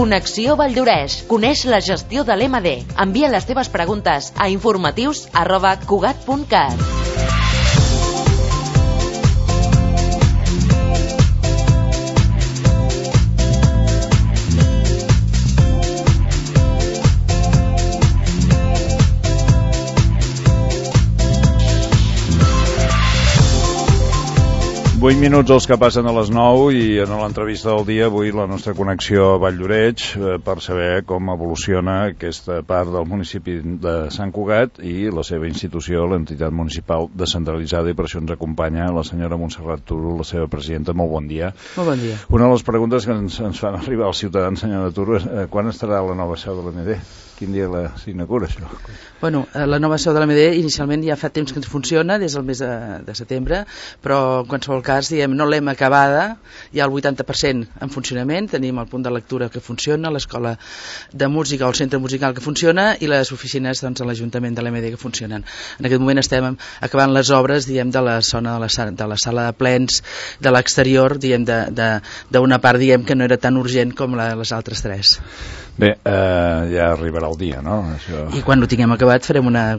Connexió Valldoreix. Coneix la gestió de l'MD. Envia les teves preguntes a informatius@cugat.cat. Vuit minuts els que passen a les 9 i en l'entrevista del dia avui la nostra connexió a Valldoreix per saber com evoluciona aquesta part del municipi de Sant Cugat i la seva institució, l'entitat municipal descentralitzada, i per això ens acompanya la senyora Montserrat Turo, la seva presidenta. Molt bon dia. Molt bon dia. Una de les preguntes que ens fan arribar els ciutadans, senyora Turo, és quan estarà la nova seu de l'MD? Quin dia s'inaugura això? Bueno, la nova seu de l'AMD inicialment ja fa temps que ens funciona, des del mes de setembre, però en qualsevol cas, diguem, no l'hem acabada, hi ha el 80% en funcionament, tenim el punt de lectura que funciona, l'escola de música o el centre musical que funciona i les oficines doncs, a l'Ajuntament de l'AMD que funcionen. En aquest moment estem acabant les obres, diguem, de la zona de la sala de plens, de l'exterior, diguem, d'una part, diguem, que no era tan urgent com les altres tres. Bé, ja arribarà el dia, no? Això... I quan ho tinguem acabat farem una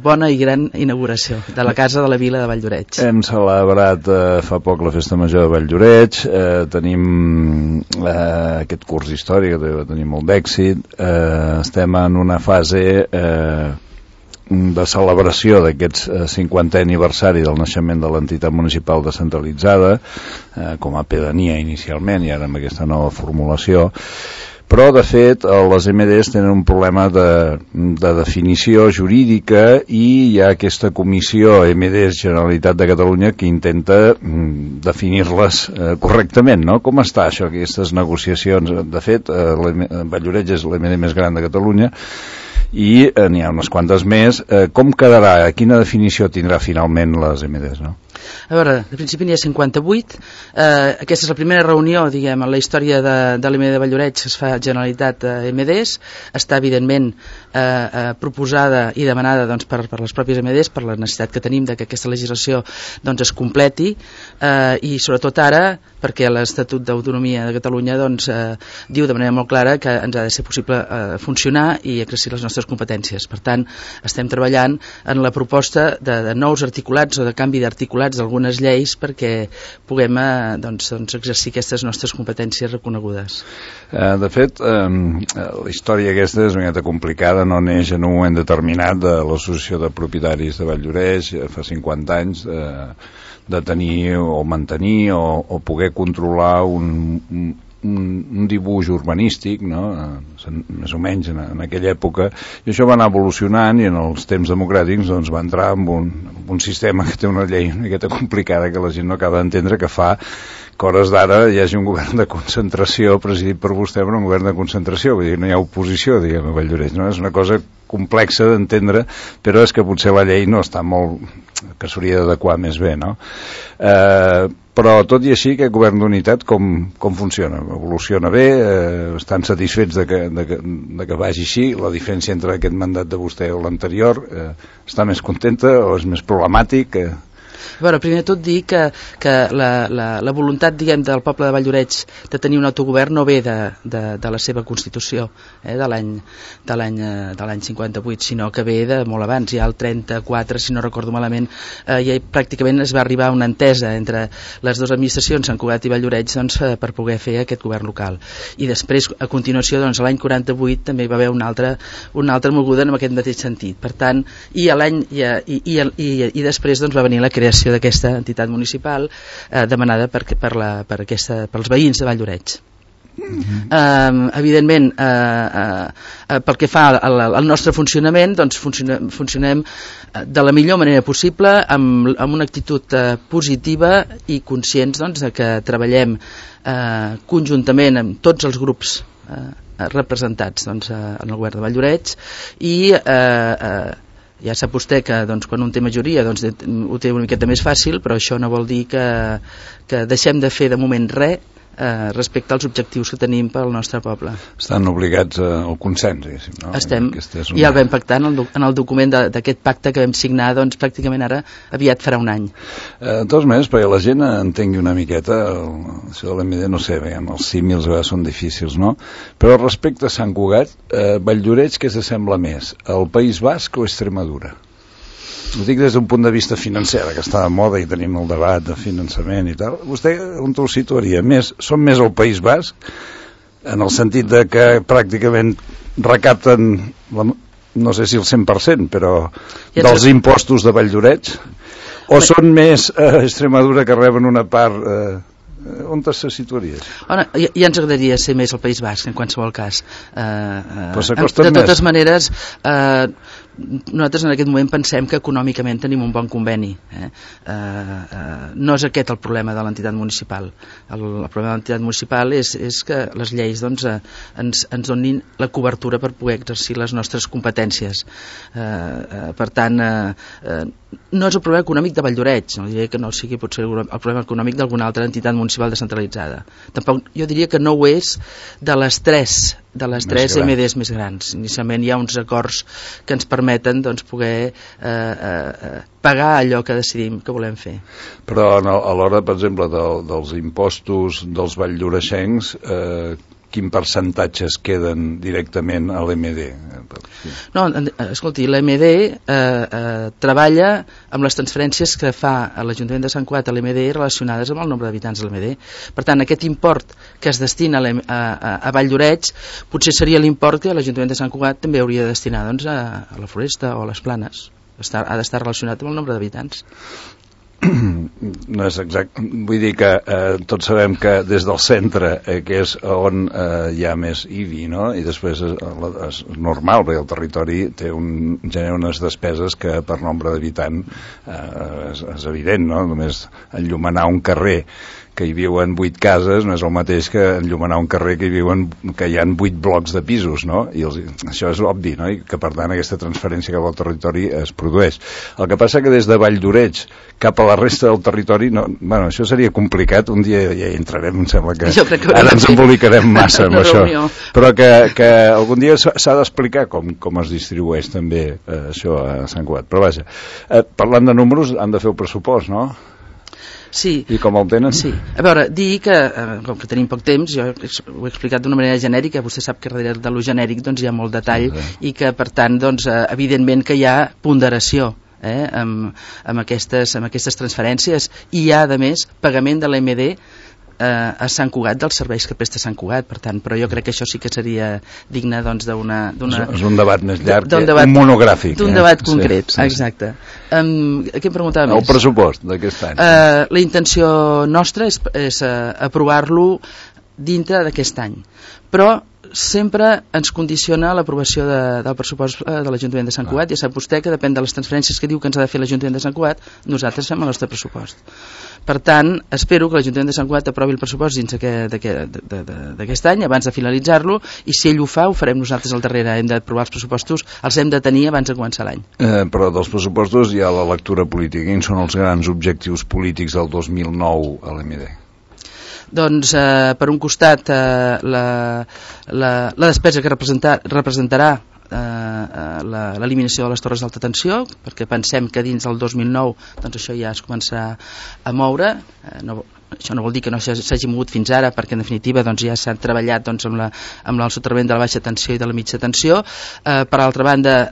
bona i gran inauguració de la Casa de la Vila de Valldoreix. Hem celebrat fa poc la Festa Major de Valldoreix, tenim aquest curs d'història que va tenir molt d'èxit, estem en una fase de celebració d'aquest 50è aniversari del naixement de l'entitat municipal descentralitzada, com a pedania inicialment i ara amb aquesta nova formulació. Però, de fet, les MDs tenen un problema de definició jurídica i hi ha aquesta comissió MDs Generalitat de Catalunya que intenta definir-les correctament, no? Com està això, aquestes negociacions? De fet, Valldoreix és l'MD més gran de Catalunya i n'hi ha unes quantes més. Com quedarà? Quina definició tindrà finalment les MDs, no? A veure, de principi n'hi ha 58. Aquesta és la primera reunió, diguem, en la història de l'MD de Valldoreix que es fa Generalitat MDs. Està, evidentment, proposada i demanada doncs, per les pròpies MDs, per la necessitat que tenim de que aquesta legislació doncs, es completi i, sobretot ara, perquè l'Estatut d'Autonomia de Catalunya doncs, diu de manera molt clara que ens ha de ser possible funcionar i exercir les nostres competències. Per tant, estem treballant en la proposta de nous articulats o de canvi d'articulats d'algunes lleis perquè puguem doncs, exercir aquestes nostres competències reconegudes. De fet, la història aquesta és una mica complicada, no neix en un moment determinat de l'Associació de Propietaris de Valldoreix fa 50 anys de tenir o mantenir o poder controlar un dibuix urbanístic, no? Més o menys en aquella època, i això va anar evolucionant i en els temps democràtics doncs, va entrar en un sistema que té una llei una miqueta complicada que la gent no acaba d'entendre, que fa que hores d'ara hi hagi un govern de concentració presidit per vostè, però un govern de concentració, vull dir, no hi ha oposició, diguem, a Valldoreix, no? És una cosa complexa d'entendre, però és que potser la llei no està molt... que s'hauria d'adequar més bé, no? Però tot i així, aquest govern d'unitat com funciona? Evoluciona bé? Estan satisfets de que vagi així? La diferència entre aquest mandat de vostè o l'anterior està més contenta o és més problemàtic? Bueno, primer de tot dir que la voluntat, diguem, del poble de Valldoreix de tenir un autogovern no ve de la seva Constitució de l'any 58, sinó que ve de molt abans, ja el 34, si no recordo malament, ja pràcticament es va arribar a una entesa entre les dues administracions, Sant Cugat i Valldoreix, doncs, per poder fer aquest govern local. I després, a continuació, doncs, l'any 48 també hi va haver una altra moguda en aquest mateix sentit. Per tant, i després doncs, va venir la creació d'aquesta entitat municipal demanada pels veïns de Valldoreix. Evidentment, pel que fa al nostre funcionament, doncs funcionem de la millor manera possible, amb una actitud positiva i conscients doncs, que treballem conjuntament amb tots els grups representats doncs, en el govern de Valldoreix i ja sap vostè que doncs, quan un té majoria doncs, ho té una miqueta més fàcil, però això no vol dir que deixem de fer de moment res respecte als objectius que tenim pel nostre poble. Estan obligats al consens, diguéssim, no? Estem, i el vam pactar en el document d'aquest pacte que vam signar, doncs pràcticament ara aviat farà un any. De totes maneres, perquè la gent entengui una miqueta, això de l'MD, no sé, els símils a vegades són difícils, no? Però respecte a Sant Cugat, Valldoreix, què s'assembla més? El País Basc o Extremadura? Ho dic des d'un punt de vista financer, que està de moda i tenim el debat de finançament i tal. Vostè on ho situaria? Són més el País Basc, en el sentit de que pràcticament recapten, no sé si el 100%, però dels impostos de Valldoreix? O són més Extremadura que reben una part... On se situaria? Ja ens agradaria ser més el País Basc, en qualsevol cas. De totes maneres, nosaltres en aquest moment pensem que econòmicament tenim un bon conveni. No és aquest el problema de l'entitat municipal. El problema de l'entitat municipal és que les lleis ens donin la cobertura per poder exercir les nostres competències. Per tant, no és el problema econòmic de Valldoreix, no diré que no sigui potser el problema econòmic d'alguna altra entitat municipal descentralitzada. Tampoc jo diria que no ho és de les tres MDs més grans. Inicialment hi ha uns acords que ens permeten poder pagar allò que decidim que volem fer. Però a l'hora, per exemple, dels impostos dels valldoreixencs, quin percentatge es queden directament a l'MD? No, escolti, l'MD treballa amb les transferències que fa a l'Ajuntament de Sant Cugat a l'MD relacionades amb el nombre d'habitants de l'MD. Per tant, aquest import que es destina a Valldoreix potser seria l'import que l'Ajuntament de Sant Cugat també hauria de destinar a la Floresta o a les Planes. Ha d'estar relacionat amb el nombre d'habitants. No és exacte, vull dir que tots sabem que des del centre, que és on hi ha més IBI, no? I després és normal, perquè el territori genera unes despeses que per nombre d'habitant és evident, no? Només enllumenar un carrer que hi viuen 8 cases no és el mateix que enllumenar un carrer que hi ha 8 blocs de pisos, no? I això és obvi, no? I que per tant aquesta transferència cap al territori es produeix. El que passa que des de Valldoreix cap a la resta del territori, bueno, això seria complicat, un dia ja hi entrarem, em sembla que ara ens embolicarem massa amb això, però que algun dia s'ha d'explicar com es distribueix també això a Sant Cugat. Però vaja, parlant de números, han de fer el pressupost, no? Sí. I com el tenen? Sí. A veure, dir que, com que tenim poc temps, jo ho he explicat d'una manera genèrica, vostè sap que darrere de lo genèric hi ha molt detall i que, per tant, evidentment que hi ha ponderació amb aquestes transferències i hi ha, a més, pagament de l'MD a Sant Cugat dels serveis que presta Sant Cugat, per tant, però jo crec que això sí que seria digne d'una... És un debat més llarg, un monogràfic. D'un debat concret, exacte. Què em preguntava més? El pressupost d'aquest any. La intenció nostra és aprovar-lo dintre d'aquest any, però sempre ens condiciona l'aprovació del pressupost de l'Ajuntament de Sant Cugat. Ja sap vostè que depèn de les transferències que diu que ens ha de fer l'Ajuntament de Sant Cugat, nosaltres fem el nostre pressupost. Per tant, espero que l'Ajuntament de Sant Cugat aprovi el pressupost dins d'aquest any, abans de finalitzar-lo, i si ell ho fa, ho farem nosaltres al darrere. Hem d'aprovar els pressupostos, els hem de tenir abans de començar l'any. Però dels pressupostos hi ha la lectura política. Quins són els grans objectius polítics del 2009 a l'MD? Doncs, per un costat, la despesa que representarà l'eliminació de les torres d'alta tensió, perquè pensem que dins del 2009 doncs això ja es començarà a moure. Això no vol dir que no s'hagi mogut fins ara, perquè en definitiva doncs, ja s'ha treballat doncs, amb el soterrament de la baixa tensió i de la mitja tensió. Per altra banda,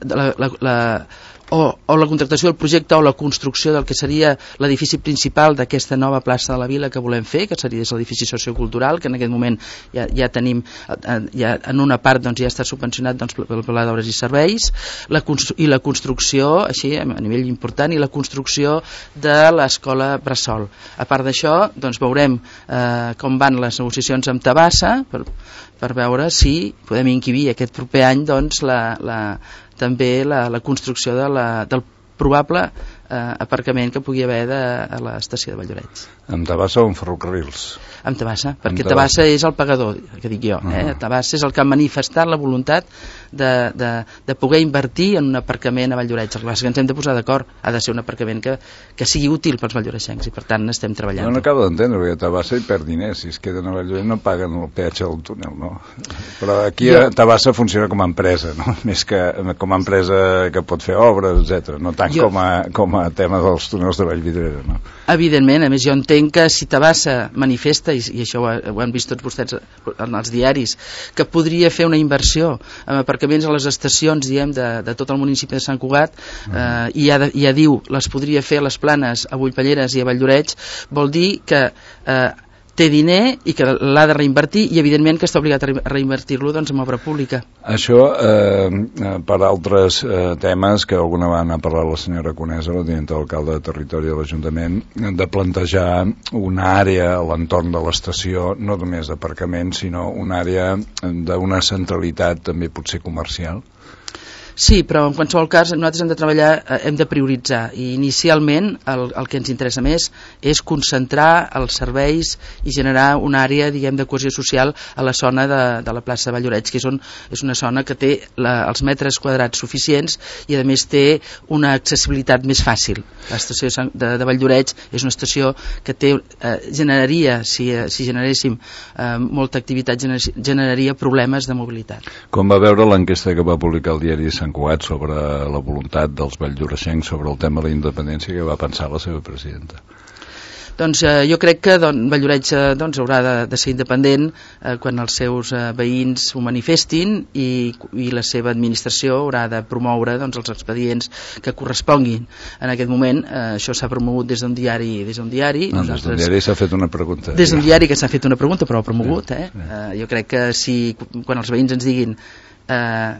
o la contractació del projecte o la construcció del que seria l'edifici principal d'aquesta nova plaça de la Vila que volem fer, que seria l'edifici sociocultural, que en aquest moment ja tenim, en una part doncs, ja està subvencionat doncs, pel Pla d'Obres i Serveis, i la construcció, així a nivell important, i la construcció de l'escola Bressol. A part d'això, doncs, veurem com van les negociacions amb Tabassa per veure si podem inquibir aquest proper any doncs, també la construcció del probable aparcament que pugui haver a l'estació de Valldoreix. Amb Tabasa o amb ferrocarrils? Amb Tabasa, perquè Tabasa és el pagador, que dic jo. Tabasa és el que ha manifestat la voluntat de poder invertir en un aparcament a Valldoreix. El que ens hem de posar d'acord, ha de ser un aparcament que sigui útil pels valldoreixencs, i per tant estem treballant. No acabo d'entendre, perquè Tabasa hi perd diners, si es queden a Valldoreix no paguen el peatge del túnel, no? Però aquí Tabasa funciona com a empresa, no? Més que com a empresa que pot fer obres, etc. No tant com a tema dels túnels de Vallvidrera, no? Evidentment, a més jo entenc que si Tabasa manifesta, i això ho han vist tots vostès en els diaris, que podria fer una inversió en aparcaments a les estacions, diguem, de tot el municipi de Sant Cugat, i ja diu, les podria fer a les Planes, a Bullpelleres i a Valldoreix, vol dir que té diner i que l'ha de reinvertir, i evidentment que està obligat a reinvertir-lo doncs, en obra pública. Això, per altres temes que alguna vegada ha parlat la senyora Conesa, la tinenta d'alcalde de Territori de l'Ajuntament, de plantejar una àrea a l'entorn de l'estació, no només d'aparcament, sinó una àrea d'una centralitat també potser comercial. Sí, però en qualsevol cas nosaltres hem de treballar, hem de prioritzar, i inicialment el que ens interessa més és concentrar els serveis i generar una àrea, diguem, de cohesió social a la zona de la plaça de Valldoreix, que és una zona que té els metres quadrats suficients i a més té una accessibilitat més fàcil. L'estació de Valldoreix és una estació que generaria, si generéssim molta activitat, generaria problemes de mobilitat. Com va veure l'enquesta que va publicar el diari Sant Cugat sobre la voluntat dels valldoreixencs sobre el tema de la independència, que va pensar la seva presidenta? Doncs jo crec que Valldoreix haurà de ser independent quan els seus veïns ho manifestin, i la seva administració haurà de promoure els expedients que corresponguin. En aquest moment això s'ha promogut des d'un diari. Des d'un diari s'ha fet una pregunta. Des d'un diari que s'ha fet una pregunta, però ha promogut. Jo crec que quan els veïns ens diguin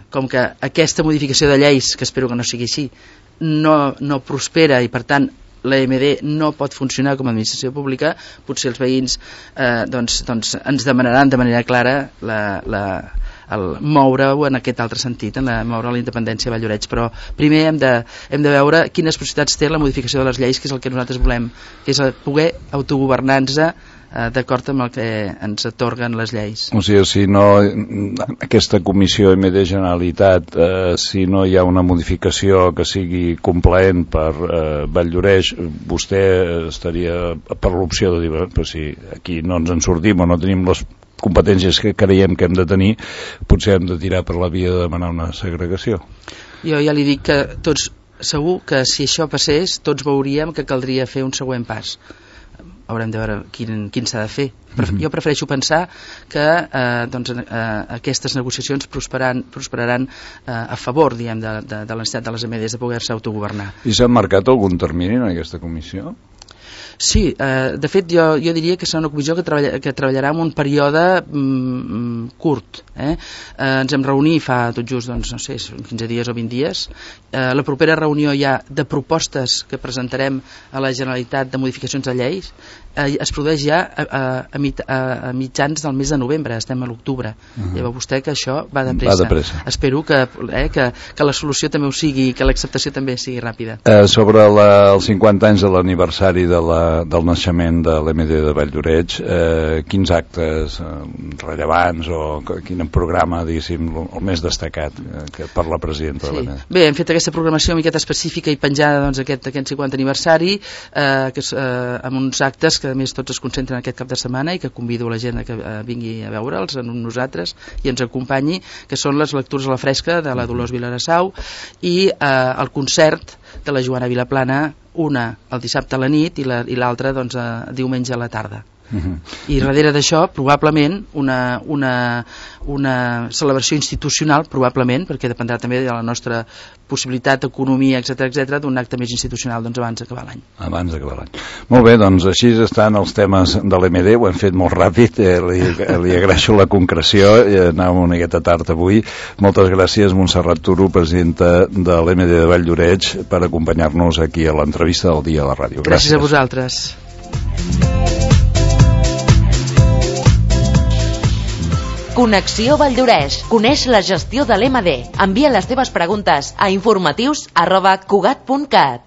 com que aquesta modificació de lleis, que espero que no sigui així, no prospera i per tant la MD no pot funcionar com a administració pública, potser els veïns ens demanaran de manera clara el moure-ho en aquest altre sentit, moure la independència a Valldoreix. Però primer hem de veure quines possibilitats té la modificació de les lleis, que és el que nosaltres volem, que és poder autogovernar-nos d'acord amb el que ens atorguen les lleis. O sigui, si no aquesta comissió MD Generalitat, si no hi ha una modificació que sigui complaent per Valldoreix, vostè estaria per l'opció de dir, però si aquí no ens en sortim o no tenim les competències que creiem que hem de tenir, potser hem de tirar per la via de demanar una segregació. Jo ja li dic que segur que si això passés tots veuríem que caldria fer un següent pas. Haurem de veure quin s'ha de fer. Jo prefereixo pensar que aquestes negociacions prosperaran a favor, diguem, de la necessitat de les MDs de poder-se autogovernar. I s'ha marcat algun termini en aquesta comissió? Sí, de fet jo diria que serà una comissió que treballarà en un període curt. Ens hem reunit fa tot just, no sé, 15 dies o 20 dies. La propera reunió ja de propostes que presentarem a la Generalitat de modificacions de lleis es produeix ja a mitjans del mes de novembre, estem a l'octubre. Ja veu vostè que això va de pressa. Espero que la solució també ho sigui i que l'acceptació també sigui ràpida. Sobre els 50 anys de l'aniversari del naixement de l'MD de Valldoreix, quins actes rellevants o quin programa, diguéssim, el més destacat per la presidenta de l'MD? Bé, hem fet aquesta programació una miqueta específica i penjada aquest 50 aniversari, amb uns actes que a més tots es concentren aquest cap de setmana i que convido la gent que vingui a veure'ls amb nosaltres i ens acompanyi, que són les lectures a la fresca de la Dolors Vilarassau i el concert de la Joana Vilaplana, una el dissabte a la nit i l'altra diumenge a la tarda. I darrere d'això probablement una celebració institucional, probablement, perquè dependrà també de la nostra possibilitat, economia, etc., d'un acte més institucional abans d'acabar l'any. Abans d'acabar l'any. Molt bé, doncs així estan els temes de l'MD, ho hem fet molt ràpid, li agraeixo la concreció, anàvem una miqueta tard avui. Moltes gràcies, Montserrat Turo, presidenta de l'MD de Valldoreix, per acompanyar-nos aquí a l'entrevista del dia a la ràdio. Gràcies a vosaltres. Connexió Valldoreix. Coneix la gestió de l'MD. Envia les teves preguntes a informatius@cugat.cat.